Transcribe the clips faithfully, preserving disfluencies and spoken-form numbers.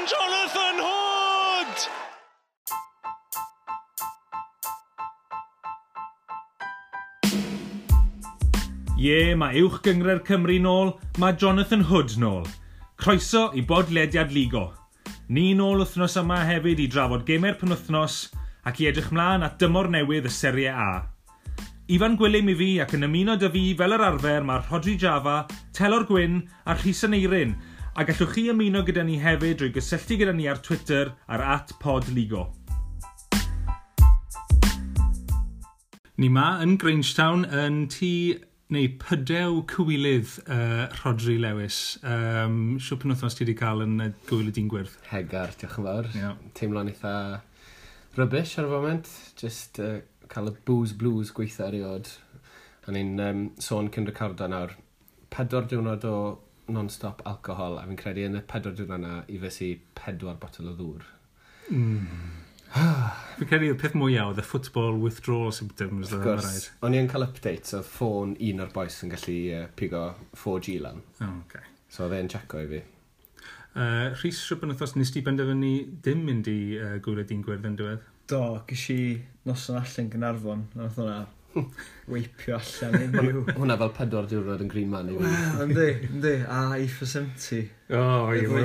Jonathan Hood! Ie, yeah, mae Uwch Gynghrair Cymru nôl, mae Jonathan Hood nôl. Croeso i bodlediad Ligo. Ni nôl wythnos yma hefyd i drafod gemau'r penwythnos ac i edrych mlaen at dymor newydd y Serie A. Ifan Gwilym i fi ac yn ymuno dy fi fel yr arfer mae Rhodri Java, Telor Gwyn a Rhys Aneirin, a gallwch chi ymuno gyda ni hefyd drwy gysylltu gyda ni ar Twitter ar at podligo. Ni ma yn Grangetown yn tŷ neu pydew cywilydd uh, Rhodri Lewis. Um, Siwr penwythnos ti wedi cael yn uh, gwyl y dyn gwyrdd? Hegar, diolch yn fawr. Yeah. Teimlo'n eitha rubbish ar y foment. Just uh, cael y booze blues gweitha erioed. O'n i'n um, sôn cyn recordo nawr, pedwar diwrnod o non-stop alcohol, a fi'n credu yn y pedwar diwrnod yna i fes i pedwar botel o ddŵr. Mm. Fi'n credu y peth mwyaf oedd y football withdrawal symptoms. Of course, o'n i'n cael updates oedd ffôn un o'r boys yn gallu uh, pigo four G lan. Oh, okay. So oedd e'n checo i fi. Uh, Rhys, rhywbeth penwythnos nes ti benderfynu dim mynd i uh, gwyl y dyn gwyrdd yn diwedd? Do, ges i noson allan Gaernarfon, nath hwnna weipio allan unrhyw. Hwnna fel pedwar diwrnod yn Green Man i fi. Wel, yndi, yndi, a E for seventy. O, i o,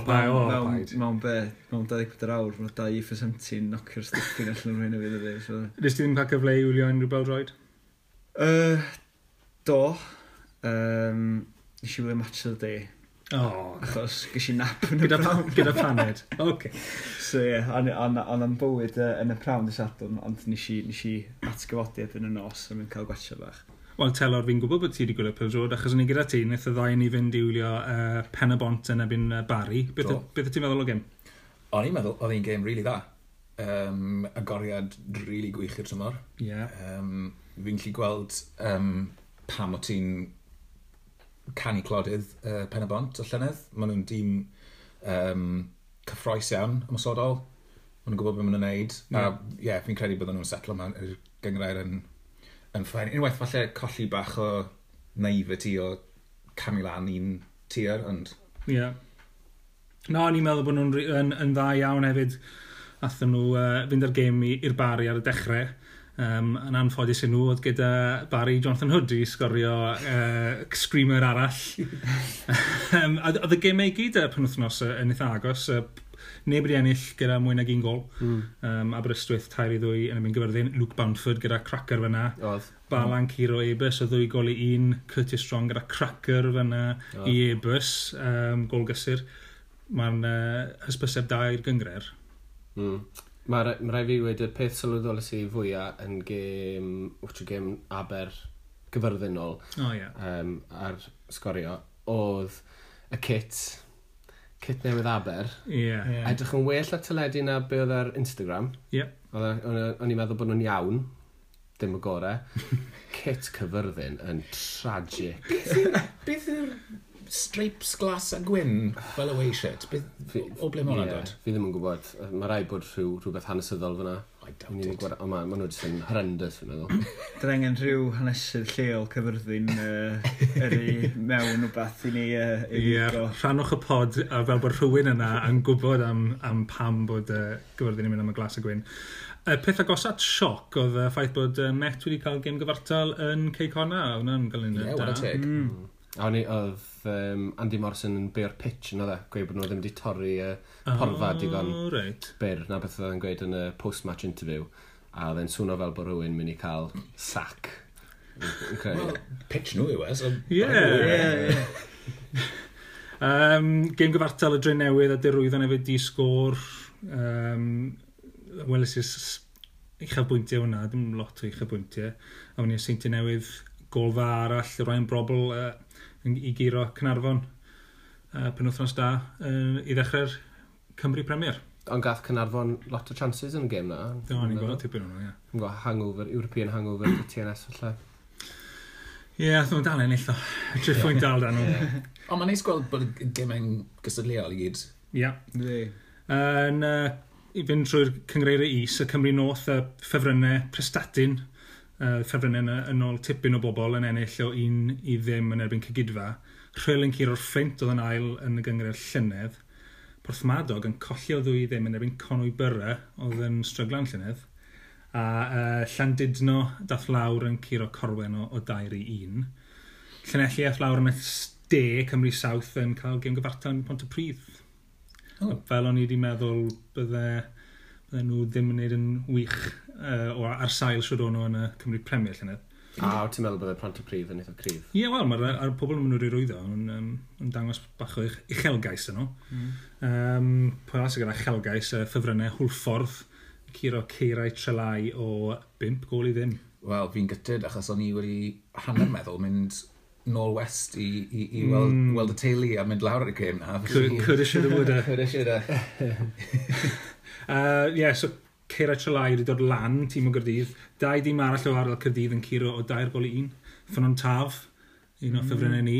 pai, o, paid. Mewn be, mewn dau ddeg pedwar awr, mae dau E for seventy yn knocio'r stiffin allan o'r hyn o fi, dydi. So. Nes ti ddim cael cyfle i wylio unrhyw bêl-droed? Uh, do. Um, nes i wylio Match of the Day. Oh. Achos ges i nap yn y gyda, prawn. Gyda paned. Okay. So ie, yeah, o'n am bywyd uh, yn y prawn dy Sadwrn, ond nes i, nes i atgyfodi erbyn y nos a mynd cael gwatcha bach. Wel, Telor, fi'n gwybod bod ti wedi gwylio pêl-droed, achos o'n i gyda ti, wnaeth y ddau ni fynd i wylio uh, Pen y Bont yn erbyn uh, Barry. Beth, beth ti'n meddwl o gêm? O'n i'n meddwl, oedd hi'n gêm rili dda. Um, agoriad rili gwych i'r tymor. Yeah. Um, fi'n gallu gweld um, pam o ti'n canu clodydd uh, Pen y Bont o llynedd. Maen nhw'n dîm um, cyffroes iawn, ymosodol. Maen nhw'n gwybod beth maen nhw'n neud. Yeah. A ie, yeah, fi'n credu bydden nhw'n setlo mewn i'r gynghrair yn, yn fine. Unwaith falle colli bach o naivety o camu lan un tier, ond... Ie. Yeah. No, o'n i'n meddwl bod nhw'n yn, yn dda iawn hefyd. Athyn nhw uh, fynd ar gêm i'r Barry ar y dechrau. Um, yn anffodus i nhw oedd gyda Barry Jonathan Hood i sgorio uh, screamer arall. um, a oedd y gemau i gyd y penwythnos yn eitha agos. Uh, neb wedi ennill gyda mwy nag un gol. Mm. Um, Aberystwyth tair i ddwy yn ymwneud Gyfyrddin. Luke Boundford gyda cracker fyna. Oedd. Balan Ciro Ebus o ddwy gol i un. Curtis Strong gyda cracker fyna i Ebus. Um, gol gysur. Mae'n uh, hysbyseb da i'r gynghrair. Mm. Mae ma rai fi wedi y peth sylweddolus i fwyaf yn gêm, wrth gêm Aber Gyfyrddin nôl, oh, yeah. um, ar sgorio, oedd y kit, kit newydd Aber. Yeah. Yeah. Edrych yn well ar teledu na be oedd ar Instagram. Yeah. O'n i'n meddwl bod nhw'n iawn, dim y gorau. Kit Cyfyrddin yn tragic. Beth yw'r stripes glas a gwyn fel away shit? Beth, o ble mae hwnna'n yeah, dod? Fi ddim yn gwybod. Mae rai bod rhyw, rhywbeth hanesyddol fyna. I doubt it. Ond ma, ma nhw jyst yn horrendous, fi'n meddwl. Dyna angen rhyw hanesydd lleol Cyfyrddin uh, yrru mewn wbath i ni uh, i Ie, yeah, rhannwch y pod a fel bod rhywun yna yn gwybod am, am pam bod uh, Gyfyrddin yn mynd am y glas a gwyn. Y peth agosat sioc oedd y ffaith bod uh, Met wedi cael gêm gyfartal yn Cei Connah. Hwnna'n gael un Ie, da. what a teg. Mm. A o'n i, oedd um, Andy Morrison yn beio'r pitch yn oedd e, gweud bod nhw ddim wedi torri uh, porfa oh, digon reit. byr, na beth oedd e'n gweud yn y post-match interview, a oedd e'n swnio fel bod rhywun mynd i cael sac. Yn credu. Well, pitch nhw yw e, so... Ie. Ie, ie. Um, gêm gyfartal y Dre Newydd a Derwyddon hefyd di sgôr. Um, Weles i'r uchafbwyntiau hwnna, dim lot o uchafbwyntiau. A wedyn i'r Seintiau Newydd, gol dda arall, Ryan Brobl uh, i guro Caernarfon uh, penwythnos da uh, i ddechrau'r Cymru Premier. Ond gath Caernarfon lot o chances yn y gêm na. Do, ni'n gweld tipyn o'n nhw, ie. Yn gweld hangover, European hangover dy T N S falle. Ie, yeah, nhw'n dal ennill o. Tri phwynt dal dan nhw. Ond mae'n neis gweld bod y gemau'n gystadleuol i gyd. Ie. Yn, uh, i fynd trwy'r cynghreiriau is, y Cymru North, y ffefrynnau Prestatyn, uh, ffefrynnau yn, yn ôl tipyn o bobl yn ennill o un i ddim yn erbyn Cegidfa. Rhyl yn curo'r Fflint oedd yn ail yn y gynghrair llynedd. Porthmadog yn colli o ddwy ddim yn erbyn Conwy Borough, oedd yn stryglan llynedd. A uh, Llandudno dath lawr yn curo Corwen o, o dair i un. Llanelli ath lawr yn y de, Cymru South yn cael gêm gyfartal yn Pontypridd. Oh. Fel o'n i wedi meddwl bydde, bydde nhw ddim yn gwneud yn wych uh, o, ar sail siwr o'n nhw yn y Cymru Premier llynedd. A wyt ti'n meddwl bydde Pontypridd yn eitha cryf? Ie, yeah, wel, mae'r ar pobl yn mynd nhw'n rwyddo yn, um, yn dangos bach o uch- uchelgais yn nhw. Mm. Um, pwy arall sydd gyda uchelgais, uh, ffefrynnau Hwlffordd, curo Ceirau Trelai o bump gôl i ddim. Wel, fi'n gutted achos o'n i wedi hanner meddwl mynd nôl west i, i, i weld, Mm. weld y teulu a mynd lawr ar y gêm na. Could, coulda, shoulda, woulda. Coulda, shoulda. Uh, yeah, so Ceirau Trelai wedi dod lan, tîm o Gaerdydd. Dau dîm arall o ardal Caerdydd yn curo o dair gol i un. Ffynnon Taf, un o Mm. ffefrynnau ni,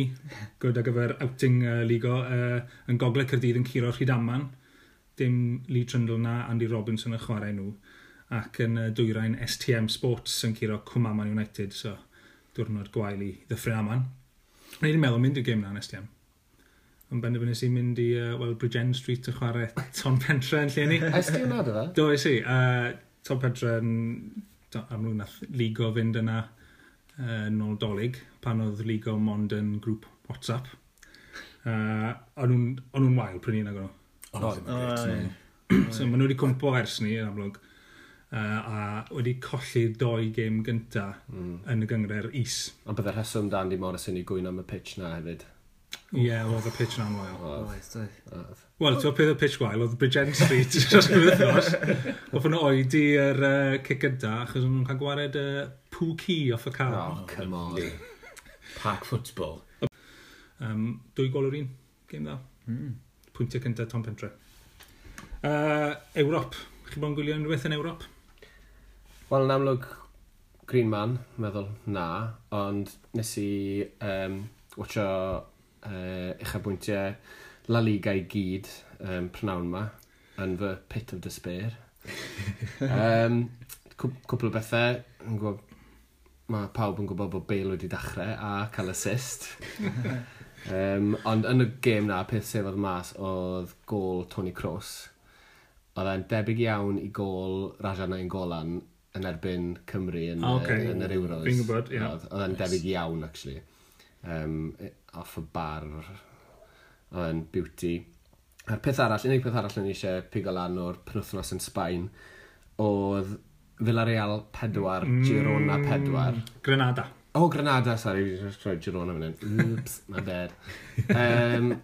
good ar gyfer outing uh, ligo, uh, yn gogledd Caerdydd yn curo Rhydaman. Dim Lee Trundle na Andy Robinson yn chwarae nhw. Ac yn uh, dwyrain S T M Sports yn curo Cwmaman United, so diwrnod gwael i Ddyffryn Aman. O'n i wedi meddwl mynd i'r gêm na yn S T M. Ond benderfynais i mynd i uh, well, Bridgend Street yn chwarae Ton Pentre yn lle ni. Es ti hwnna, dy fe? Do, es i. Uh, Ton Pentre yn... do, amlwg nath Ligo fynd yna uh, nôl Dolig, pan oedd Ligo mond yn grŵp WhatsApp. Uh, o'n nhw'n o'n nhw'n wael pryd ni nag o'n nhw. Ond oedd ddim yn O, grêt, ie. ne. So maen nhw wedi cwmpo ers ni, yn amlwg, uh, a wedi colli doi gêm gynta Mm. yn y gynghrair is. Ond bydde'r rheswm da Andy Morrison i gwyno am y pitch na hefyd. Ie, yeah, oedd y pitch na'n wael. Oedd, Oes, doedd. oedd. Wel, ti'n peth y pitch gwael, oedd Bridgend Street dros y wythnos. Oedd nhw oedi yr uh, cic gynta, achos o'n nhw'n cael gwared y uh, poo key off y car. Oh, come on. Lovely. Park football. Um, dwy gol o'r un, gêm dda. Mm. Pwyntiau cyntaf Tom Pentre. Uh, Ewrop. Chi bod yn gwylio unrhyw beth yn Ewrop? Wel, yn amlwg, Green Man, meddwl, na, ond nes i um, watcho uh, uchafbwyntiau La Liga i gyd um, prynawn ma, yn fy pit of despair. um, cwpl o bethau, yn gwybod, mae pawb yn gwybod bod Bale wedi dechrau a cael assist. um, ond yn y gêm na, peth sef oedd mas oedd gôl Toni Kroos. Oedd e'n debyg iawn i gôl Raja Nainggolan yn erbyn Cymru yn, Ah, ocê. uh, yn yr Euros. Fi'n gwybod, ie. Oedd oedd e'n debyg iawn, actually. Um, off y bar, oedd e'n beauty. A'r peth arall, unig peth arall o'n i eisiau pigo lan o'r penwythnos yn Sbaen, oedd Villarreal pedwar, mm. Girona pedwar. Granada. Oh, Granada, sorry, fi jyst rhoi Girona fan hyn. Oops, my bad. Um,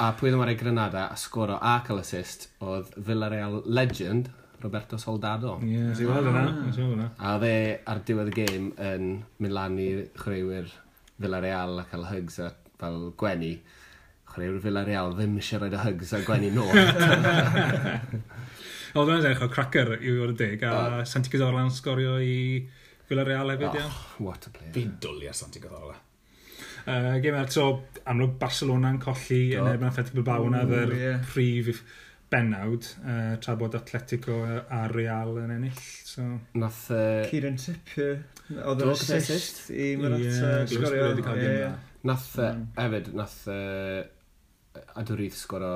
a pwy oedd yn chwarae Granada a sgoro a cael assist oedd Villarreal legend Roberto Soldado. Ie, yeah, nes i weld yna. Nes i weld yna. A oedd e ar diwedd y gêm yn mynd lan i chwaraewyr Villarreal a cael hugs a fel gwenu. Chwaraewyr Villarreal ddim eisiau rhoi y hugs a gwenu nôl. Oedd hwnna'n edrych o cracker i fod yn deg, a Santi Cazorla yn sgorio i Villarreal hefyd, oh, ie. What a player. Fi'n dwlu ar Santi Cazorla. Uh, Gêm arall, so amlwg Barcelona yn colli Do. yn erbyn Athletic Bilbao yna Ww, yr ie. prif bennawd, uh, tra bod Atletico a Real yn ennill. So, Nath... Uh, Kieran Trippier, oedd Do, yr gyda assist i Morata Ie, glywes sgorio. bod wedi cael gêm Ie. dda. Nath, uh, Mm. hefyd, nath uh, Aduriz sgoro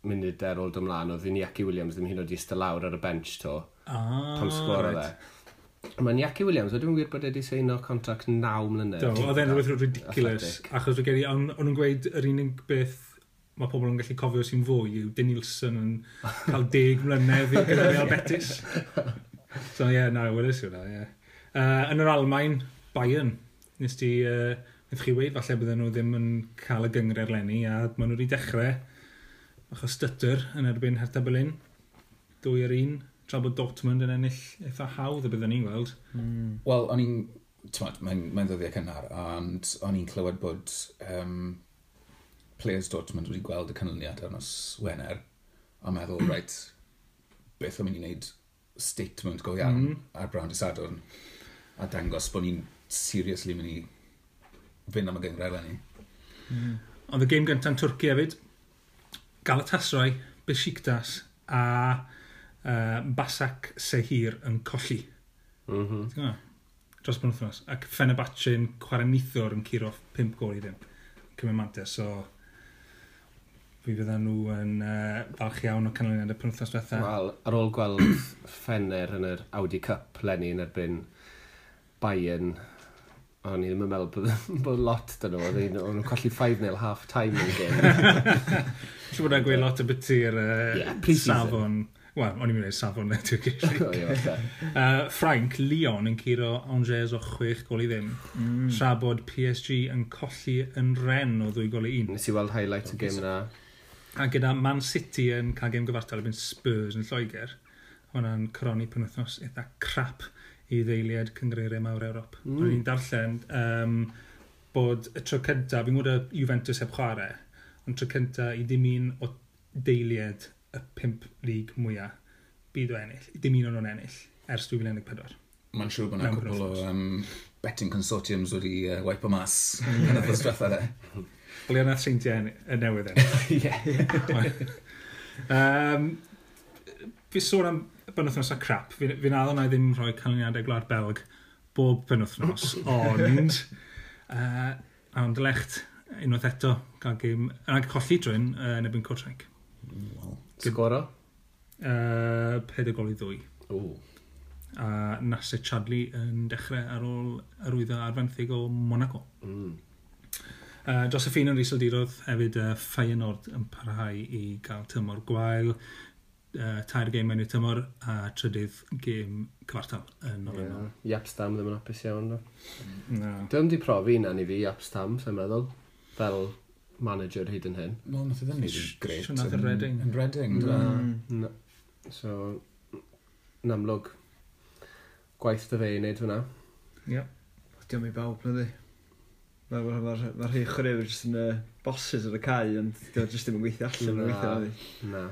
munud ar ôl dymlaen, oedd Iñaki Williams ddim hyd yn oed i eistedd lawr ar y bench to, Ah, pan sgoro reit. fe. Mae Iñaki Williams, oedd yn wir bod e wedi seino contract naw mlynedd. Do, oedd e'n rhywbeth ridiculous. Athletic. Achos dwi'n credu, o'n o'n nhw'n gweud yr unig beth mae pobl yn gallu cofio sy'n fwy yw Denilson yn cael deg mlynedd i gyda Real Betis. So ie, yeah, na, weles i hwnna, ie. Yeah. Uh, yn yr Almain, Bayern, nes ti, uh, nes chi weid, falle bydden nhw ddim yn cael y gynghrair leni, a maen nhw wedi dechrau bach o stutter yn erbyn Hertha Berlin. Dwy ar un, tra bod Dortmund yn ennill eitha hawdd y bydden ni'n gweld. Mm. Wel, o'n i'n... T'mod, mae'n mae ddyddiau cynnar, ond o'n i'n clywed bod um, players Dortmund wedi gweld y canlyniad ar nos Wener, a meddwl, reit, beth o'n mynd i wneud statement go iawn Mm. mm. ar Brown Dydd Sadwrn, a dangos bod ni'n seriously mynd i fynd am y gynghrair eleni. Mm. Ond y gêm gyntaf yn Twrci hefyd, Galatasaray, Besiktas a uh, Basak Sehir yn colli. Mm -hmm. Ti'n gwybod? Dros penwythnos. Ac Fenerbahce yn chwarae nithwr yn curo pump gol i ddim. Cymryd mantais, so Fi fyddan nhw yn uh, falch iawn o canlyniad y penwythnos diwetha. Wel, ar ôl gweld Fener yn yr Audi Cup leni yn erbyn Bayern, o'n i ddim yn meddwl bod, bod lot dyn nhw. O'n nhw'n colli five nil half time yn gêm. Siŵr bod e'n gweud lot o biti'r uh, yeah, safon. Wel, o'n i'n mynd i safon y Turkish League. O, ie, falle. Uh, Ffrainc, Lyon yn curo Angers o chwech gol i ddim. Mm. Tra bod P S G yn colli yn Rennes o ddwy gol i un. Nes i weld highlight y gêm na. A gyda Man City yn cael gêm gyfartal erbyn Spurs yn Lloegr, hwnna'n coroni penwythnos eitha crap i ddeiliad cynghreiriau mawr Ewrop. Mm. O'n i'n darllen um, bod y tro cyntaf, fi'n gwybod y Juventus heb chwarae, ond tro cyntaf i ddim un o deiliad y pump lig mwyaf byd o ennill. Dim un o'n nhw'n ennill ers dwy fil un deg pedwar. Mae'n siŵr bod yna Mewn cwpl o penwythnos. um, betting consortiums wedi uh, wipe o mas yn y diwetha de. Wel, nath Seintiau y newydd ennill. Ie. Um, fi sôn am benwythnos a crap. Fi'n fi addo na i ddim rhoi canlyniadau Gwlad Belg bob penwythnos, ond uh, Anderlecht unwaith eto gael gêm, ac colli drwy'n uh, yn erbyn Kortrijk. Wel, Sgoro? Uh, Peder gol i ddwy. O. A Nacer Chadli yn dechrau ar ôl arwyddo ar fenthyg o Monaco. Mm. Uh, dros y ffin yn Iseldiroedd hefyd uh, Feyenoord yn parhau i gael tymor gwael, uh, tair gêm mewn i'r tymor a trydydd gêm cyfartal yn olynol. Yeah. Jaap Stam ddim yn hapus iawn. Do. No. Dwi'n di profi hynna i fi, Jaap Stam, sa'n meddwl. Fel manager hyd yn hyn. Wel, nath e ddim neud yn grêt. Siŵr nath e yn- Reading. Yn Reading, do. Mm. No. So, yn amlwg, gwaith dy fe i wneud hwnna. Yeah. Diolch i bawb, nadi. Mae'r ma, ma, ma rhai chwaraewyr jyst yn uh, bosses ar y cae, ond diolch jyst ddim yn gweithio allan. Na. Yn gweithio, nadi. Na.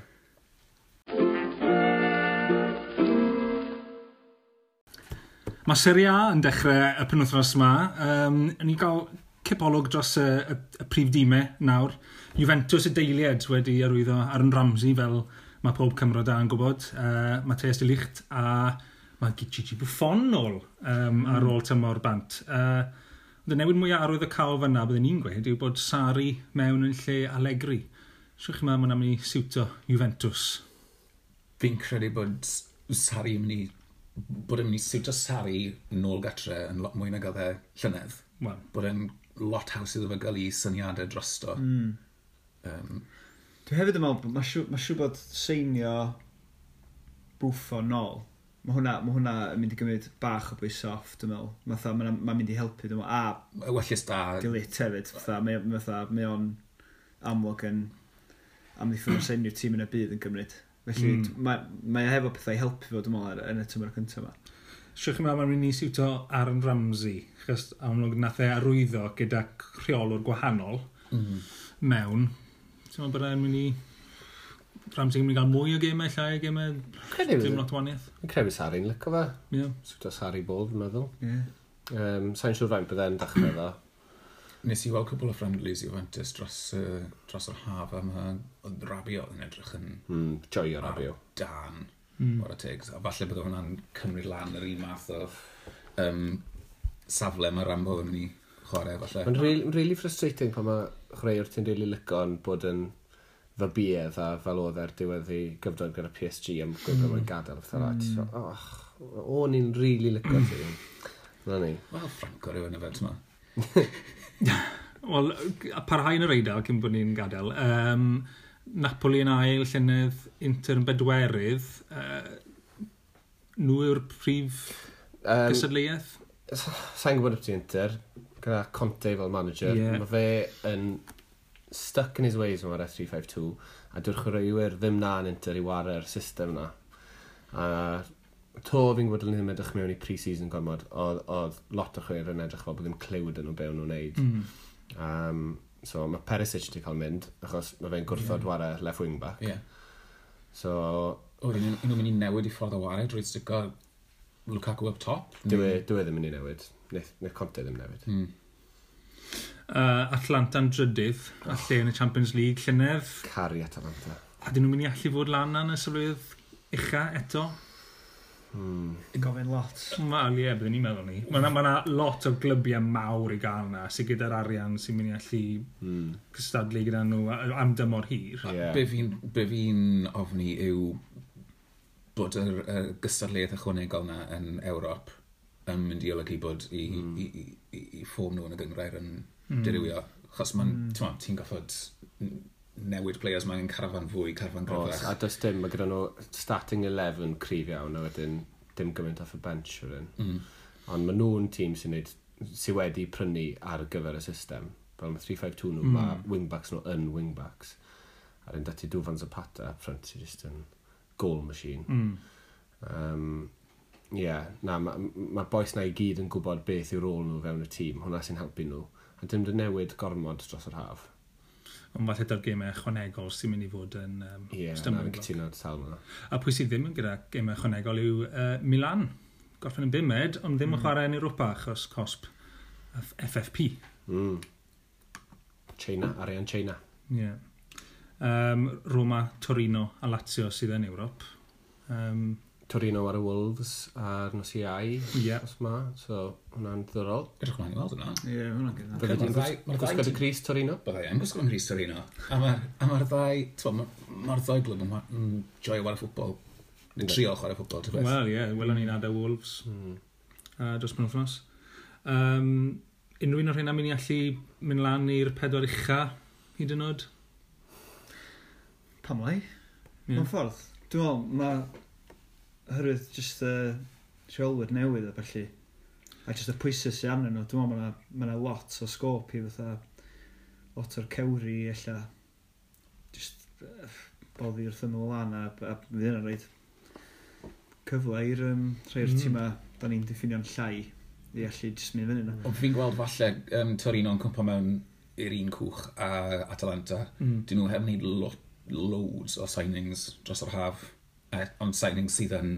Mae Serie A yn dechrau y penwythnos yma. Um, ni gael cipolwg dros y, y, y prif dîmau nawr. Juventus y deiliad wedi arwyddo Aaron Ramsey fel mae pob Cymro da yn gwybod. Uh, Matthijs de Ligt a mae Gigi Buffon nôl um, ar ôl tymor bant. Uh, ond y newid mwyaf arwydd y cael fyna byddwn ni'n gweud yw bod Sarri mewn yn lle Allegri. Siwch chi meddwl mae'n mynd i siwto Juventus? Fi'n credu bod Sarri yn mynd i bod e'n mynd i siwto Sarri nôl gatre yn lot mwy nag oedd e llynedd. Wel, Bod e'n lot haws iddo fe gael ei syniadau drosto. Mm. Um, Dwi hefyd yn meddwl, bod ma' siŵr ma' siŵr bod seinio Buffon nôl. Mae hwnna, ma hwnna yn mynd i gymryd bach o bwys off, dwi'n meddwl. Fatha, mae'n ma mynd i helpu, dwi'n meddwl. A Ewellys da. De Ligt hefyd, fatha, mae, fatha, mae o'n amlwg yn amddiffyn o'r enw'r tîm yn y byd yn gymryd. Felly, Mm. mm. mae, mae o hefo pethau i helpu fo, dwi'n meddwl, ar- yn y tymor cyntaf yma. Siwch chi'n meddwl mae'n mynd i siwto Aaron Ramsey, achos amlwg nath e arwyddo gyda rheolwr gwahanol Mm. mewn. Ti'n meddwl bod e'n mynd i... Ramsey yn mynd i gael mwy o gemau, llai o gemau, Credu dim lot o wahaniaeth. Fi'n credu Sarri'n licio fe. Ie. Siwto Sarri ball, fi'n meddwl. Yeah. Um, Sa'n siŵr faint bydde'n dechrau ddo. Nes i weld cwbl o friendlies Juventus dros, uh, dros yr haf a mae oedd Rabiot yn edrych yn Mm, joio Rabiot. dan Mm. o'r tegs. A falle bydde hwnna'n cymryd lan yr un math o um, safle mae Rambo yn mynd i chwarae falle. Mae'n really, really frustrating pan mae chwaraewr ti'n really licio yn bod yn fybiedd a fel oedd ar diwedd ei gyfnod gyda P S G am gweud bod mae'n gadael a pethau fel mm. Oh, o'n i'n really licio ti. Na ni. Wel, Franco rhywun yfed, ti'n Wel, a parhau yn yr Eidal cyn bod ni'n gadael. Um, Napoli yn ail, llynedd, Inter yn bedwerydd. Uh, nhw yw'r prif Um, gystadleuaeth? Sa'n gwybod beth Inter, gyda Conte fel manager, Ie. yeah. Mae fe yn stuck in his ways yn ware three five two, a dyw'r chwaraewyr ddim na yn Inter i ware'r system na. A to fi'n gwybod yn ddim edrych mewn i pre-season gormod, oedd, oedd lot o chwaraewyr yn edrych fel bod ddim cliw dyn nhw be o'n nhw'n neud. Mm. Um, so mae Perisic wedi cael mynd, achos mae fe'n gwrthod yeah. ware left wing back. Ie. So, O, yn nhw'n mynd i newid i ffordd o ware drwy stico Lukaku up top? dyw e, dyw e ddim yn ei newid. Neith, neith Conte ddim newid. Mm. Uh, Atlanta'n drydydd, a lle yn y Champions League llynedd. Caru Atalanta. A dyn nhw'n mynd i allu fod lan yn y safleoedd ucha eto? Hmm. Gofyn lot. Wel, ie, byddwn ni'n meddwl ni. Mae yna ma lot o glybiau mawr i gael na, sydd gyda'r arian sy'n mynd i allu mm. cystadlu gyda nhw am dymor hir. Yeah. Be fi'n be fi ofni yw bod yr, y gystadleuaeth ychwanegol na yn Ewrop yn mynd i olygu bod i, mm. i, i, i, i ffôn nhw yn y gynghrair yn mm. dirywio. Chos ma'n, mm. ti'n goffod newid players, mae'n carafan fwy, carafan gryfach. A does dim, mae gyda nhw starting eleven cryf iawn, a wedyn dim gymaint off y bench wedyn. Mm. Ond maen nhw'n tîm sy'n neud, sy'n wedi prynu ar gyfer y system. Fel mae three five two nhw, mm. mae wingbacks nhw yn wingbacks. A rydyn dati Dufan Zapata up front sy'n just yn goal machine. Mm. Um, yeah, na, mae'r ma, ma bois na i gyd yn gwybod beth yw rôl nhw fewn y tîm. Hwna sy'n helpu nhw. A dim dy newid gormod dros yr haf. Ond falle da'r gemau ychwanegol sy'n mynd i fod yn um, Ie, yeah, stumbling na, cytuno sawl yna. A pwy sydd ddim yn gyda gemau ychwanegol yw uh, Milan. Gorffen yn bumed, ond ddim yn mm. chwarae yn Europa achos cosp F F P. Mm. China, arian China. Ie. Yeah. Um, Roma, Torino a Lazio sydd yn Ewrop. Um, Torino ar y Wolves a'r nos Iau, yeah. os ma, so hwnna'n ddiddorol. Edrych mlaen i weld hwnna. Ie, yeah, hwnna'n gyda. Bydde ti'n gwisgo dy crys Torino? Bydde i'n gwisgo crys Torino. A mae'r ma ddau, mae'r ma ddau glwb yn joio chwarae ffwtbol. Yn trio chwarae ffwtbol, ti'n beth. Wel, ie, yeah, welon ni'n adael Wolves mm. uh, dros penwythnos. Um, unrhyw un o'r rheina mynd i allu mynd lan i'r pedwar ucha, hyd yn oed? Pam lai? Yeah. Mewn ffordd. Dwi'n meddwl, mae oherwydd just y uh, rheolwyr newydd a felly, a just y pwysau sy'n arnyn nhw, dwi'n meddwl mae yna lot o sgôp i fatha, lot o'r cewri ella, just uh, boddi wrth ymyl lan a, a fydd yna'n rhaid cyfle i'r um, rhai o'r Mm. mm. tîmau da ni'n diffinio'n llai i allu just mynd fyny yna. Ond fi'n gweld falle um, Torino'n cwmpo mewn i'r un cwch a Atalanta. Mm. Dyn nhw heb wneud lo loads o signings dros yr haf. Eh, ond signings sydd yn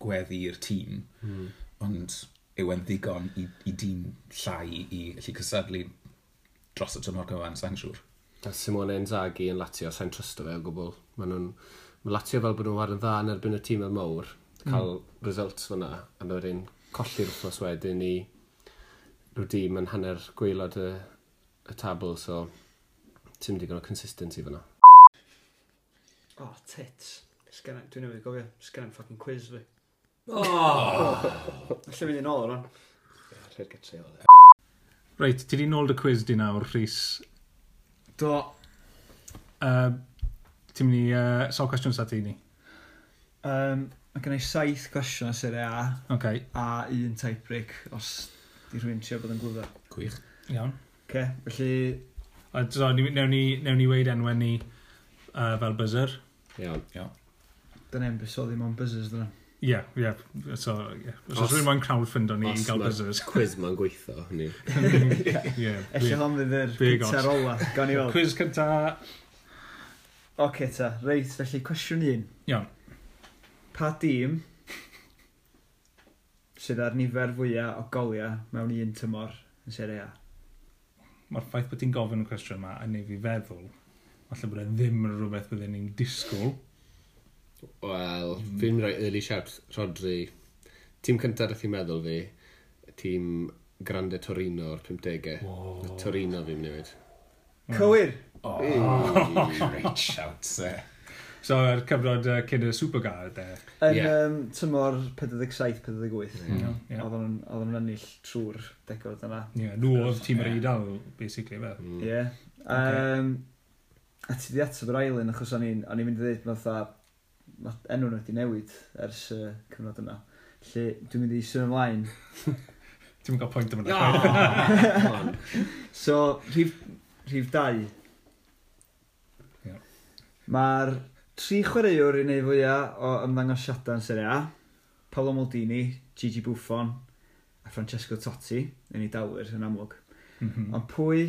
gweddu i'r tîm. Mm. Ond yw e'n ddigon i, i dîm llai i allu cystadlu dros y tymor cyfan, sa'n siŵr. A Simone Inzaghi yn Lazio, sa'n trysto fe o gwbl. Maen nhw'n... Mae Lazio fel bod nhw'n chwarae'n dda yn erbyn y tîm y mawr, cael mm. results fyna, a wedyn colli'r wythnos wedyn i rhyw dîm yn hanner gwaelod y, y tabl, so ti'n digon o consistency fyna. Oh, tits. Sgen, dwi'n newydd gofio, sgen i'm fucking quiz fi. Oh! Alla fynd yn ôl o'r Rhaid gytre o. Reit, ti di nôl dy quiz di nawr, Rhys. Do. Uh, ti'n mynd i... Uh, sawl cwestiwn sa ti ni? Um, mae gen i saith cwestiwn o Serie A Okay. a un tie break os di rhywun trio bod yn glyfar. Gwych. Iawn. Oce, felly A, so, ni, newn ni, newn ni weid enwau ni uh, fel buzzer. Iawn. dyna e'n buddsoddi mewn buzzers dyna. Ie, yeah, ie. Yeah. So, yeah. Os Os- rhywun moyn crowdfundo ni i Os gael ma'r buzzers. Quiz ma'n gweithio, hynny. Ie. Ella hon fydd yr Big os. cynta'r ola, gawn ni weld. Quiz cynta. Oce ta, reit, felly cwestiwn un. Iawn. Pa dîm sydd ar nifer fwyaf o goliau mewn un tymor yn Serie A? Mae'r ffaith bod ti'n gofyn y cwestiwn yma yn neud fi feddwl, falle bod e ddim yn rhywbeth bydden ni'n disgwyl. Wel, fi'n rhoi early shout, Rodri. Tîm cyntaf nath i meddwl fi, tîm Grande Torino o'r pumdegau. Wow. Torino fi'n mynd i weud. Cywir! Oh, great shout, eh. So, yr cyfnod uh, cyn y Supergar, de. Yn Ie. um, tymor pedwar deg saith, pedwar deg wyth. Ie. Ie. Oedden nhw'n oedden nhw'n ennill trwy'r degawd yna. Ie, nhw oedd tîm yr Eidal, basically, fe. Mm. Ie. Um, a ti di ateb yr ail un, achos o'n i'n o'n i'n mynd i ddweud, mae fatha, ma' enw nhw wedi newid ers y uh, cyfnod yna. Felly, dwi'n mynd i symud ymlaen. Ti'n mynd cael pwynt am hwnna. Come on. So, rhif, rhif dau. Ie. Mae'r tri chwaraewr i wneud fwyaf o ymddangosiadau yn Serie A. Paolo Maldini, Gigi Buffon a Francesco Totti yn ei dalwyr yn amlwg. Mhm. Ond pwy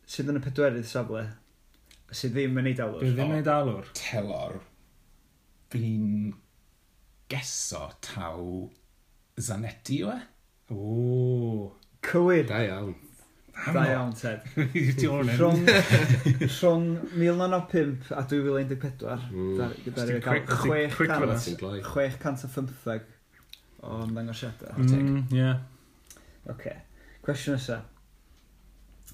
sydd yn y pedwerydd safle sydd ddim yn ei dalwyr? Dwi ddim yn ei dalwr. Telor, fi'n geso taw Zanetti yw e? O. Cywir! Da iawn. Da iawn, Ted. Ti o'r hyn. Rhwng, rhwng mil naw naw pump a dwy fil un deg pedwar, Mm. gyda Ti'n gael quick- ti'n chwech quick cant, fyna. Ti'n gloi. chwech cant a phymtheg o ymddangosiadau. Mm, yeah. Oce. Cwestiwn nesa.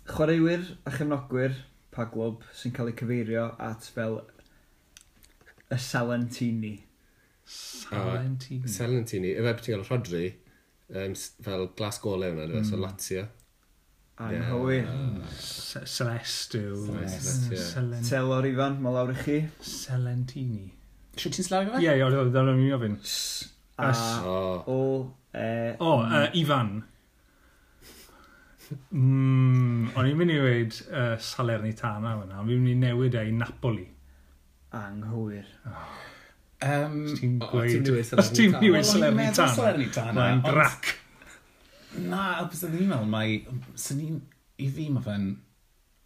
Chwaraewyr a chefnogwyr pa glwb sy'n cael eu cyfeirio at fel y Salentini? Salentini. Salentini. Efe beth ti'n gael Rodri, um, fel glas golau hwnna, mm. So Lazio. Anghywir. Ce- Celeste yw. Celeste, ie. Selen- Telor Ifan, mae lawr i chi. Selentini. Siwt ti'n sillafu fe? Ie, ie, oedd o'n i'n ofyn. S A S. O. O E O, uh, Ifan. Mm, o'n i'n mynd i weud uh, Salernitana fyna, ond fi'n mynd i newid e i Napoli. Anghywir. Um, Os ti'n O, gweud... ti'n mynd i weud Os ti'n mynd i weud Wel, o'n i'n meddwl Salernitana. Salernitana. Mae'n ond- grac. Na, bys ni'n meddwl, mae... Swn i'n... I fi mae fe'n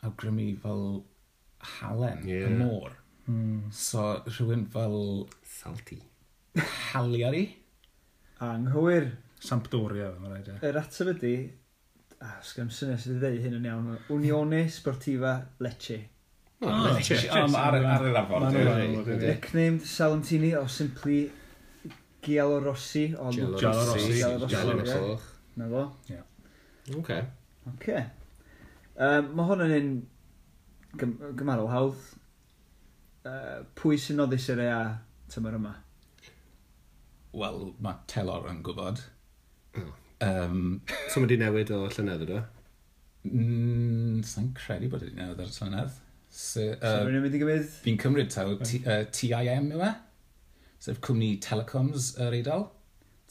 awgrymu fel halen, Ie. y môr. Mm. So, rhywun fel Salty. Cagliari. Anghywir. Sampdoria, mae'n rhaid e. Yr ateb ydy... Ah, sgan syniad sydd wedi dweud hyn yn iawn. Unione Sportiva Lecce. O, Oh, Lecce. Lecce. O, ma' ar, ar yr Ma' arfordir. nhw'n ar yr arfordir, ie. Nicknamed Salentini or simply Giallorossi o Giallorossi. Giallorossi. Giallorossi, Giallorossi. ie. Coch. Na fo. Oce. Oce. Um, mae hwn yn un gym gymharol hawdd. Uh, pwy sy'n noddi Serie A tymor yma? Wel, mae Telor yn gwybod. O. Um, So mae di newid o llynedd ydw? mm, Sa'n credu bod wedi newid ar y llynedd. So, So, uh, rwy'n mynd i gymryd? fi'n cymryd taw T- uh, T I M yw e? Sef cwmni telecoms yr Eidal.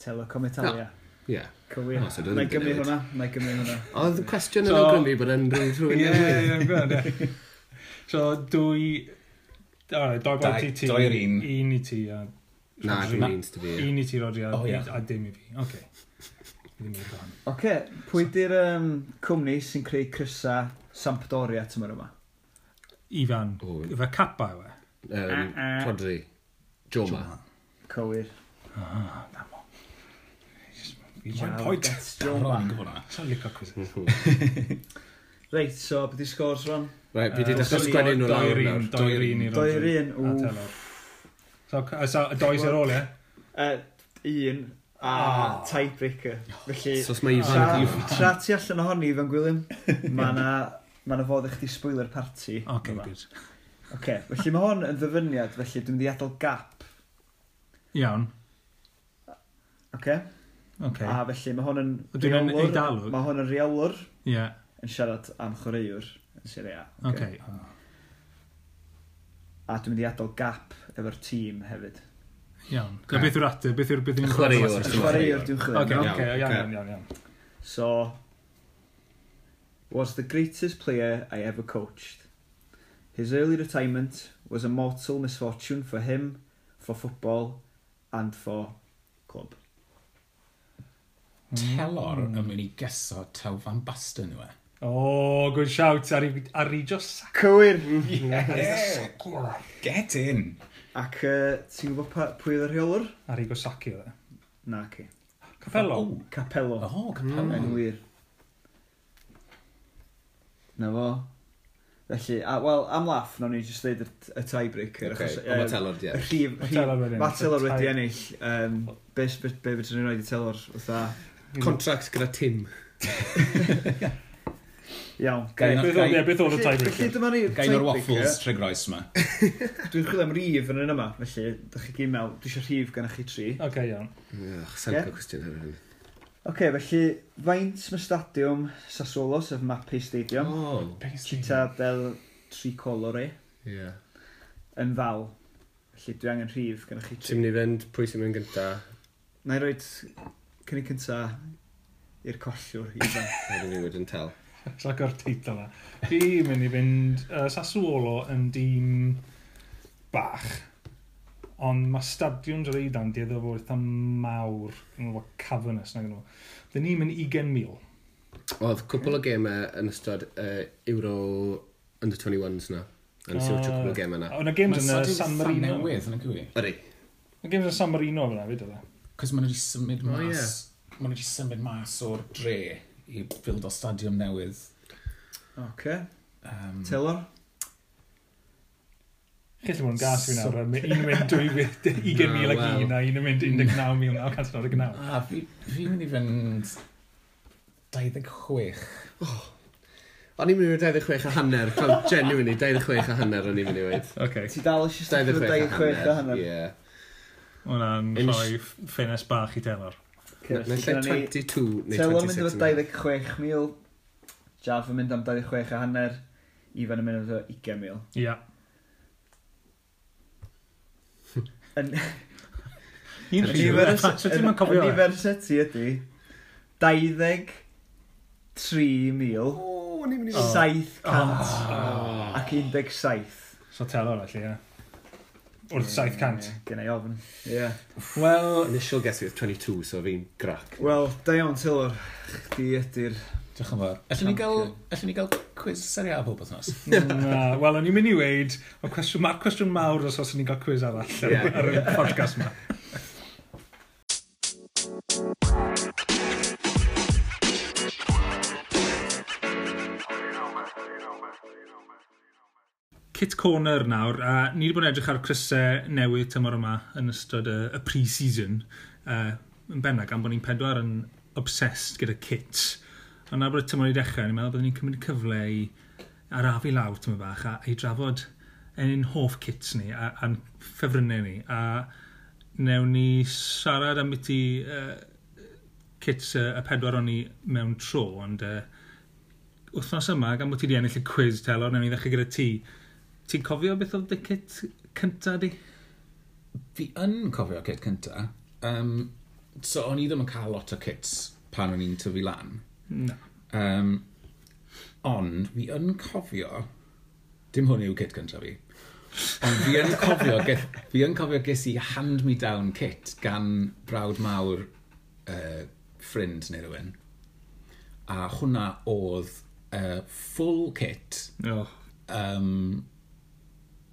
Telecom Italia. Ie. Cywir. O, so dwi Na ddim i gymryd 'di newid. hwnna. Na i gymryd hwnna. Oedd y cwestiwn yn So- awgrymu bod yn rhywun rhywun Ie, newydd. ie, ie, ie. So, dwy... Alright, doi Dau- bwynt i ti. doi i'r un. Un i ti a... Na, Rodri. dwi'n un sydd fi. Un i ti, Rodri, a, O, ie. a dim i fi. Oce. Ddim i fi. Oce, pwy di'r um, cwmni sy'n creu crysa Sampdoria tymor yma? Ifan. O. Ife Kappa yw e? Um, Rodri. Joma. Cywir. Ah, na mo. Fi'n Ciao, point. that's Daron, Joma. i'n gwybod hwnna. Sa'n licio quizzes. Reit, so beth i scores rwan? Right, fi di Yy, dechrau so sgwennu nhw doi lawr i'r un, nawr. Doi i'r un i Doi Rodri. i'r un, A wff. Telor. So, c- so, doi sy'n ôl, ie? Uh, un a Ah. tiebreaker. Felly, So os mae Ifan tra, yn cael... tra ti allan ohoni, Ifan Gwilym, mae na, ma na fodd i chdi spoiler party. Oce, Yma. good. Oce, felly mae hwn yn ddyfyniad, felly dwi'n mynd i adael gap. Iawn. Oce? Oce. A felly mae hwn yn Ydw i'n reolwr. Eidalwr? Mae hwn yn reolwr Ie, yn siarad am chwaraewr yn Serie A. oce. A dwi'n mynd i adael gap efo'r tîm hefyd. Iawn. So, beth yw'r ateb? Beth yw'r... Beth yw'r Chwaraewr. Y chwaraewr dwi'n chwilio. Oce, am, oce, Iawn, iawn, oce. iawn, iawn, iawn. So, was the greatest player I ever coached. His early retirement was a mortal misfortune for him, for football, and for club. Telor yn mynd i geso taw Van Basten yw e. Oh, good shout. Ar- Arrigo Sacchi. Cywir! Yeah. Get in! Ac uh, ti'n gwybod pa, pwy oedd y rheolwr? Arrigo Sacchi oedd e. Na, ci. Capello. Oh, Capello. oh Capello. Yn wir. Na fo. Felly, a, wel, am laff, nawn ni jyst dweud y, y tiebreaker. Oce, achos, ond mae yym, Telor di Y ennill. rhif, Ma' rhif, Telor wedi Mae ennill. Telor wedi Tie- ennill. Um, be, be, be fedrwn ni roed i Telor? Fatha, Contract gyda Tim. iawn. Gai- Beth oedd ie, beth oedd y Felly, felly tiebreaker? dyma ni Gain o'r tiebreaker. waffles Tregroes yma. Dwi'n chwilio am rif yn un yma, felly, dych chi gyd mewn, dwi eisiau rhif gan chi tri. Oce, iawn. Ugh, Sa'n Ie. cael cwestiwn hefyd. Oce, felly, faint mae stadiwm Sassuolo, sef Mapei Stadium, O, Città del Tricolore, ie. yn fal. Felly, dwi angen rhif gan chi tri. Ti'n mynd i fynd, pwy sy'n mynd gynta? Na i roed cynnig cynta i'r collwr, Ifan. A dyn ni wedyn tel. Sa'n o'r teitl yna. Fi'n mynd i fynd uh, Sassuolo yn dîm bach. Ond mae stadiwm yr Eidan dueddol o fod eitha mawr, yn fod cavernous nag nhw. Dyn ni'n mynd ugain mil. Oedd cwpl o gemau yn ystod uh, Euro Under twenty-ones na. A nes i watcho cwpl o gemau na. Ond y games yn Mae y San Marino. Newydd, yn y gwi. Ydy. Y games yn San Marino fyna, fyd oedd e. Cos maen nhw wedi symud O, mas... Maen nhw wedi symud mas o'r dre i build o stadiwm newydd. Oce, Um, Telor? Chi'n gallu bod yn gas fi nawr, un yn mynd ugain mil ac un a un yn mynd un deg naw mil naw cant naw deg naw. A fi, fi'n mynd i fynd dau ddeg chwech. Oh. O'n i'n mynd i dau ddeg chwech a hanner, fel genuinely, dau ddeg chwech a hanner o'n i'n mynd i weud. Okay. Ti dal eisiau stick dau ddeg chwech a hanner? Ie. Hwna'n rhoi ffenest bach i Telor. Neu lle twenty-two neu twenty-six. Telor mynd efo dau ddeg chwech mil, Jav yn mynd am dau ddeg chwech a hanner, Ifan yn mynd efo ugain mil. Ia. Un rhif, so ti'n mynd cofio? Nifer seti ydy dau ddeg tri mil saith cant ac un deg saith. So Telor felly, ie. Wrth saith cant. Gen i ofn. Ie. Wel... Initial guess oedd twenty-two, so fi'n grac. Wel, da iawn, Telor. Chdi ydy'r... Diolch yn fawr. Allwn ni gael, allwn ni gael quiz Serie A pob wythnos? Na, wel, o'n i'n mynd i weud, mae'r cwestiwn, ma cwestiwn mawr os oes ni'n cael quiz arall ar, ar y podcast yma. Kit Corner nawr, a ni wedi bod yn edrych ar crysau newydd tymor yma yn ystod y, y pre-season. Uh, yn bennaf, gan bod ni'n pedwar yn obsessed gyda kits. Ond nawr bod y tymor i dechrau, ni'n meddwl byddwn ni'n cymryd cyfle i arafu lawr tymor bach a i drafod ein hoff kits ni a, a'n ffefrynnau ni. A newn ni siarad am byti uh, kits uh, y pedwar o'n ni mewn tro, ond uh, wythnos yma, gan bod ti wedi ennill y quiz, Telor, newn ni ddechrau gyda ti. Ti'n cofio beth oedd dy kit cynta di? Fi yn cofio kit cynta. Um, so o'n i ddim yn cael lot o kits pan o'n i'n tyfu lan. Na. Um, ond fi yn cofio, dim hwn yw kit cynta fi, ond fi yn cofio, geth, fi yn cofio ges i hand-me-down kit gan brawd mawr uh, ffrind neu rhywun. A hwnna oedd uh, full kit oh. um,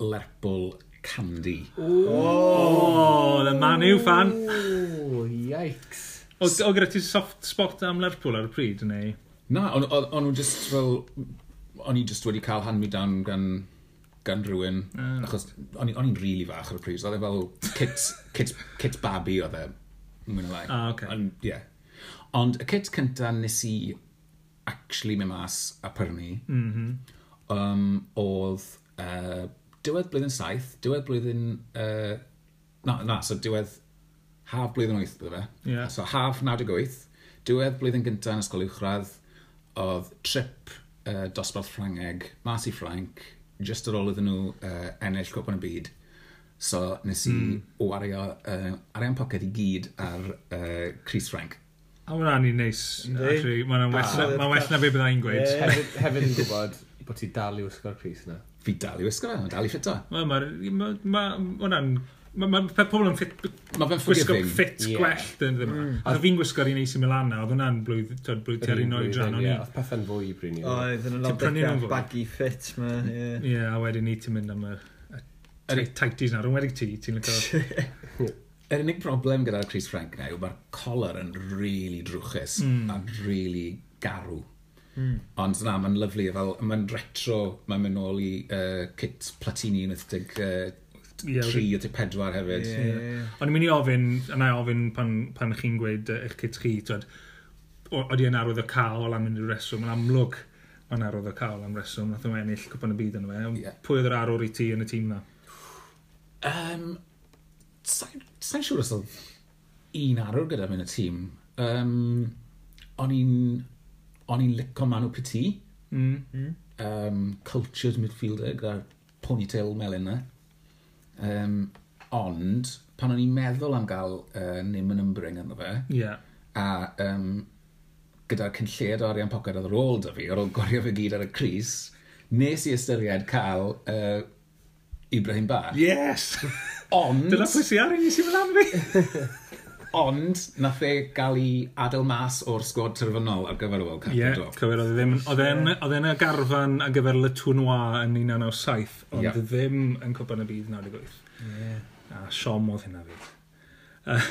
Lerpwl Candy. Oh, the Man U fan. Oh, yikes. O, o gyda ti soft spot am Lerpwl ar y pryd, neu? Na, o'n nhw just fel... O'n i just wedi cael hand-me-down gan, gan rhywun. Mm. Achos o'n i'n really fach ar y pryd. Oedd e fel kit, kit, kit babi oedd e. Mwy na lai. Ah, okay. Ond, yeah. Ond y kit cynta nes i actually mynd mas a prynu mm -hmm. um, oedd uh, diwedd blwyddyn saith, diwedd blwyddyn... Uh, na, na, so diwedd... Haf blwyddyn wyth, bydde fe. Yeah. So haf naw deg wyth, diwedd blwyddyn gyntaf yn ysgol uwchradd, oedd trip uh, dosbarth Ffrangeg, mas i Ffrainc, just ar ôl iddyn nhw uh, ennill Cwpan y Byd. So nes i mm. wario uh, arian poced i gyd ar uh, crys Ffrainc. A hwnna'n un neis, actually. Mae'n well, ma well na be byddai'n gweud. Yeah. Hefyd, hefyd yn gwybod bod ti dal i wisgo'r crys na. Fi dal i wisgo fe, mae'n dal i ffito. Mae ma, ma, ma, hwnna'n... Mae ma, pobl yn ffit, ma fe'n gwisgo ffit yeah. gwell dyn ddim. Mm. A fi'n gwisgo'r un A C Milan na, oedd hwnna'n blwydd, twyd, blwydd tua'r un oedran. Ie, oedd pethau'n fwy bryd ni. Oedd, yn y nawdegau baggy fit ma. Ie, yeah, a wedyn ni ti'n mynd am y, y tighties na, rhwng wedi ti, ti'n licio... Yr unig broblem gyda'r crys Ffrainc na yw mae'r collar yn really drwchus mm. a really garw. Mm. Ond na, mae'n lyflu, fel, mae'n retro, mae'n mynd nôl i uh, kit Platini wyth deg yeah, tri o pedwar hefyd. Yeah, yeah. Yeah. O'n i'n mynd i ofyn, a na i ofyn pan, pan chi'n gweud eich kit chi, twyd, oeddi yn arwydd o cael am unrhyw reswm, yn amlwg mae'n arwydd o cael am reswm, nath nhw ennill Cwpan y Byd yno fe. Yeah. Pwy oedd yr arwr i ti yn y tîm na? Um, Sa'n sa siŵr os oedd un arwr gyda fi yn y tîm. Um, o'n i'n o'n i'n licio Manu Petit. Mm. Mm. Um, cultured midfielder gyda'r ponytail melyn na. Um, ond, pan o'n i'n meddwl am gael uh, Nim yn ymbryn ynddo fe, yeah. a um, gyda'r cynlliad o arian poced oedd ar ôl da fi, ar ôl gwario fe gyd ar y crys, nes i ystyried cael uh, Ibrahim Ba. Yes! Ond... Dyna pwy sy'n ar un i sy'n mynd am fi! Ond, nath e gael ei adael mas o'r sgwad terfynol ar gyfer y World Cup. Ie, yeah, cywir, oedd e ddim, oedd e'n oedd e'n y garfan ar gyfer Le Tournoi yn un naw naw saith, ond yeah. ddim yn Cwpan y Byd naw deg wyth. Yeah. A siom oedd hynna fyd. Uh,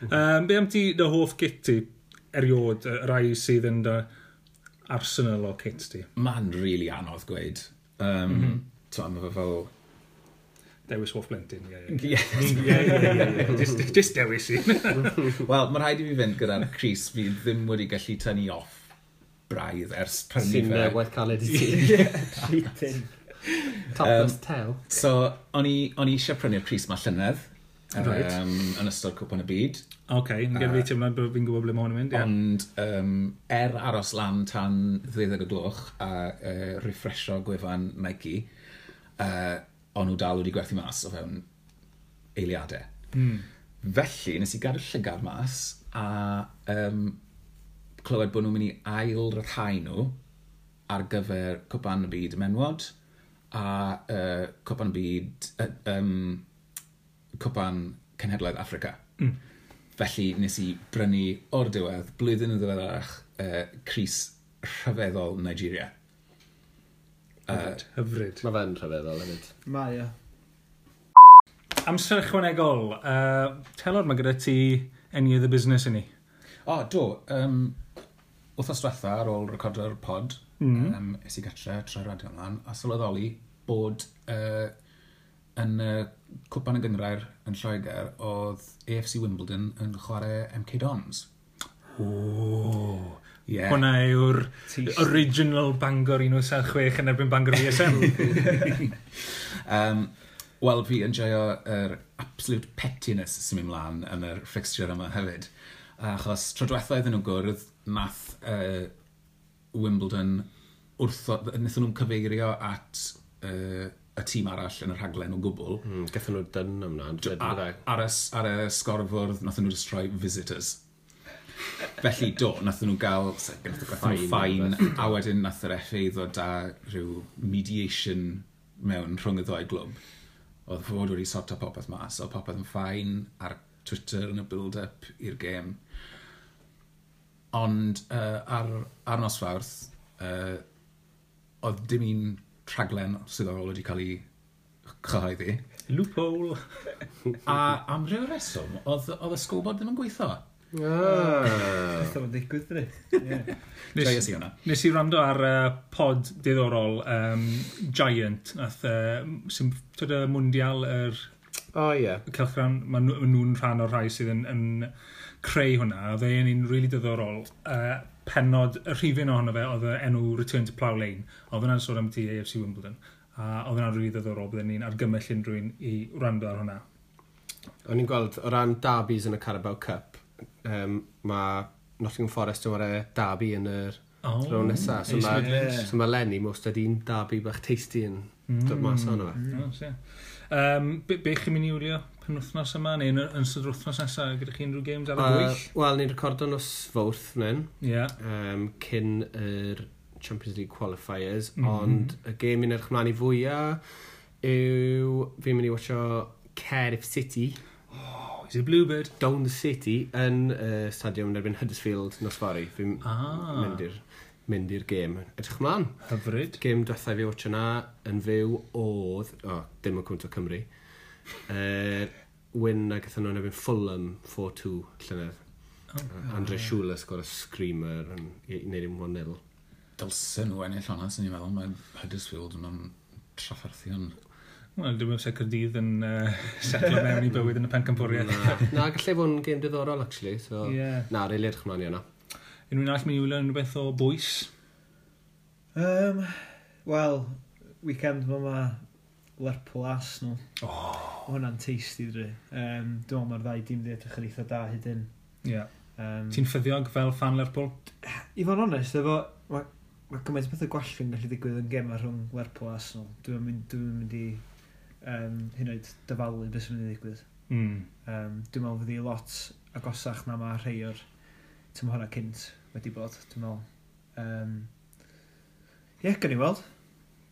um, be am ti dy hoff kit ti eriod, y rai sydd yn dy arsenal o kit ti? Mae'n really anodd gweud. Um, mm -hmm. Mae fe fel... Dewis hoff blentyn, ie, ie. Ie, ie, ie. Just, just dewis un. Wel, mae'n rhaid i fi fynd gyda'r crys fi ddim wedi gallu tynnu off braidd ers prynu Sy'n fe. uh, waith caled i ti. Treating. Topless Um, tail. So, o'n i, o'n i eisiau prynu'r crys ma llynedd. Right. Um, yn ystod Cwpan y Byd. Oce, yn gyda fi teimlad bod fi'n gwybod ble mae hwn yn mynd, ie. Ond um, er aros lan tan ddeuddeg o gloch a uh, refresho gwefan Nike, uh, o'n nhw dal wedi gwerthu mas o fewn eiliadau. Mm. Felly, nes i gadw llygad mas a um, clywed bod nhw'n mynd i ail ryddhau nhw ar gyfer Cwpan y Byd Menwod a uh, Cwpan y Byd, uh, um, Cwpan Cenhedlaeth Affrica. Mm. Felly, nes i brynu o'r diwedd, blwyddyn yn ddiweddarach, uh, crys rhyfeddol Nigeria. Uh, Hyfryd. Hyfryd. Mae fe'n rhyfeddol hefyd. Mae o. Amser ychwanegol. Uh, Telor, mae gyda ti any of the business i ni. O, do. Um, wythnos diwetha ar ôl recordo'r pod, Mm. um, es i gatre, troi radio ymlaen, a sylweddoli bod uh, yn uh, Cwpan y Gynghrair yn Lloegr, oedd A F C Wimbledon yn chwarae M K Dons. O. Yeah. Hwna yw'r Tasty. original Bangor un wyth saith chwech yn erbyn Bangor V S M. Um, Wel, fi yn joio yr absolute pettiness sy'n mynd mlaen yn yr fixture yma hefyd. Achos tro diwetha iddyn nhw gwrdd, nath uh, Wimbledon wrtho, wnaethon nhw'n cyfeirio at uh, y tîm arall yn y rhaglen o gwbl. Mm, Gathon nhw dyn am na. A, ar, y, ar y sgorfwrdd, nathon nhw just rhoi visitors. Felly, do, nathon nhw gael nathon nhw Fine, fine, a wedyn nath yr F A ddod â rhyw mediation mewn rhwng y ddau glwb. Oedd fod wedi sorto popeth mas, oedd popeth yn fine ar Twitter yn y build-up i'r gêm. Ond uh, ar, ar nos Fawrth, uh, oedd dim un rhaglen swyddogol wedi cael ei chyhoeddi. Loophole. A am ryw reswm, oedd, oedd y scoreboard ddim yn gweithio. Ah. Beth o'n digwydd, dwi? Ie. Nes, Joies i hwnna. nes i wrando ar uh, pod diddorol um, Giant, nath, uh, sy'n twyd y Mundial, yr O ie. cylchgrawn, maen nhw- ma nhw'n rhan o'r rhai sydd yn, yn creu hwnna. Oedd e'n un rili diddorol. Uh, penod, y rhifyn ohono fe, oedd y enw Return to Plough Lane. Oedd hwnna'n sôn am ti A F C Wimbledon. A oedd hwnna'n rili diddorol, bydden ni'n argymell unrhyw un i wrando ar hwnna. O'n i'n gweld, o ran derbys yn y Carabao Cup, um, mae Nottingham Forest yn chwarae derby yn yr Oh, round nesa. So East mae Midlands. so ma Lenny most un derby bach tasty yn dod mas ohono fe. Mm. Yes, yeah. Um, be, be chi'n mynd i wylio penwythnos yma, neu yn, yn ystod yr wythnos nesaf, gyda chi unrhyw games ar y Uh, gwyll? Wel, ni'n recordo nos Fawrth fan hyn, Ie. um, cyn yr Champions League qualifiers, Mhm. mm -hmm. ond y gêm i'n edrych mlaen i fwyaf yw fi'n mynd i watcho Cardiff City, Oh, is it Bluebird? Down the City, yn uh, stadiwm yn erbyn Huddersfield nos fory. Fi'n Ah. mynd i'r mynd i'r gêm. Edrych mlaen. Hyfryd. Gêm diwethaf fi watcho na yn fyw oedd, o, oh, dim yn cwnt o Cymru, uh, win a gathon nhw yn erbyn Fulham four two llynedd. Oh. Uh, Andre Schürrle sgor y screamer yn i i wneud un one nil. Dylsen nhw ennill hwnna, sy'n ni'n meddwl, mae Huddersfield yn trafferthion. Wel, dwi'n meddwl se Caerdydd yn uh, setlo mewn i bywyd yn y pencampwriaeth. Na, na gallai fod yn gêm diddorol, actually. So, Ie. Na, rili edrych mlaen i hwnna. Unrhyw un arall mynd i wylio unrhyw beth o bwys? Um, Wel, weekend ma ma Lerpwl Arsenal. Oh. Ma hwnna'n tasty, dwi. Um, dwi'n meddwl mae'r ddau dîm di edrych yn eitha da hyd yn. Ie. Yeah. Um, Ti'n ffyddiog fel fan Lerpwl? I fod yn onest, efo, mae ma gymaint o bethau gwallgof yn gallu digwydd yn gema rhwng Lerpwl a Arsenal. Dwi'n mynd, dwi'n mynd i um, hyd yn oed dyfalu beth sy'n mynd i ddigwydd. Mm. Um, dwi'n meddwl fydd hi lot agosach na mae rhai o'r tymhorau cynt wedi bod, dwi'n meddwl. Um, Ie, yeah, gawn ni weld.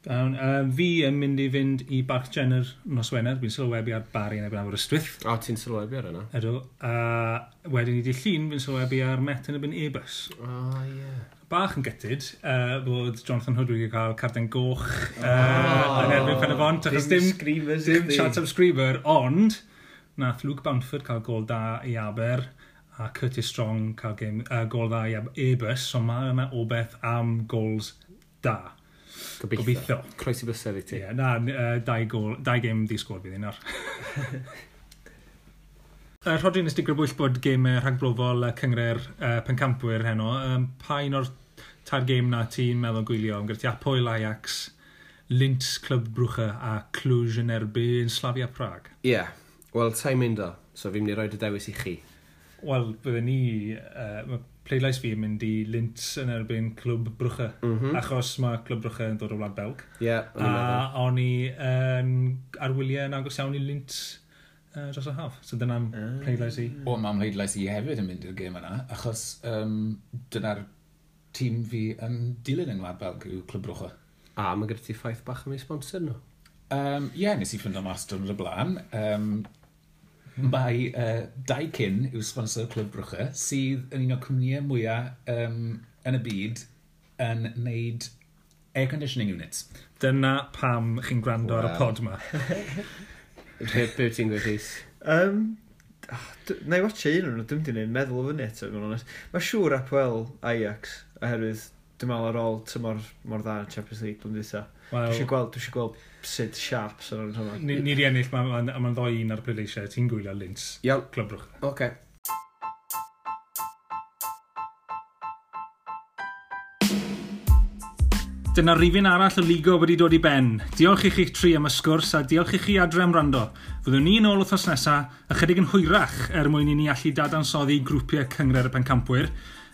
Um, um, fi yn mynd i fynd i Barc Jenner nos Wener. Fi'n sylwebu ar Barry yn erbyn Aberystwyth. O, ti'n sylwebu ar yna? Ydw. A wedyn i di Llun, fi'n sylwebu ar Met yn erbyn Airbus. O, ie. Bach yn gutted uh, bod Jonathan Hood wedi cael carden goch uh, oh, yn erbyn Pen-y-bont, achos dim, screamers dim chdi. chance am screamer, ond nath Luke Bamford cael gol da i Aber a Curtis Strong cael game, uh, gol dda i Airbus, so mae yna obeth am gols da. Gobeithio. Gobeithio. Croesi bysedd i ti. Ie, na, uh, dau, gol, dau gêm di sgôr bydd un nawr. Uh, Rhodri, nes di grybwyll bod gêm rhagbrofol uh, Cynghrair uh, Pencampwyr heno. Um, pa un o'r tair gêm na ti'n meddwl gwylio? Gyda ti Apoel Ajax, Linz Club Brugge a Cluj yn erbyn Slavia Prague. Ie, yeah. Wel, sa'n mynd o, so fi'n mynd i roi y dewis i chi. Wel, bydden ni, uh, mae pleidlais fi yn mynd i Linz yn erbyn Clwb Brugge, mm -hmm. achos mae Clwb Brugge yn dod o Wlad Belg. Ie, yeah, a o'n i um, ar wyliau yn agos iawn i Linz uh, dros y haf. So dyna'n uh. pleidlais i. O, mae'n pleidlais i hefyd yn mynd i'r gêm yna, achos um, dyna'r tîm fi yn dilyn yng Ngwlad Belg yw Clwb Brugge. A mae gyda ti ffaith bach am ei sponsor nhw? Ie, um, yeah, nes i ffindo mas diwrnod y blaen. Um, mae uh, Daikin yw sponsor Clwb Brugge, sydd yn un o'r cwmnïau mwyaf um, yn y byd yn neud air conditioning units. Dyna pam chi'n gwrando wow. ar y pod ma. Be be wyt ti'n gweud, Rhys? Um, na i watcha un o'n nhw, dwi'n mynd i wneud meddwl o fyny eto, i fod yn onest. Mae siŵr Apoel Ajax, oherwydd dwi'n meddwl ar ôl tymor mor dda yn Champions League blwyddyn dwytha. Wel, Dwi eisiau gweld, dwi eisiau gweld sut sharp sy'n o'n hwnna. Ni, ni di ennill, mae'n ma, ma, ma ddoi un ar y pleidleisiau. Ti'n gwylio Linz. Iawn. Clwb Brugge. Oce. Okay. Dyna rifyn arall o Ligo wedi dod i ben. Diolch i chi'ch tri am y sgwrs a diolch i chi adre am wrando. Fyddwn ni yn ôl wythnos nesaf, ychydig yn hwyrach er mwyn i ni allu dadansoddi grwpiau Cynghrair y Pencampwyr.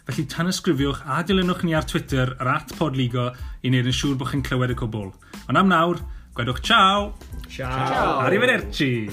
Felly tanysgrifiwch a dilynwch ni ar Twitter ar at podligo i wneud yn siŵr bod chi'n clywed y cwbl. Ond am nawr, gwedwch ciao! Ciao! Arrivederci!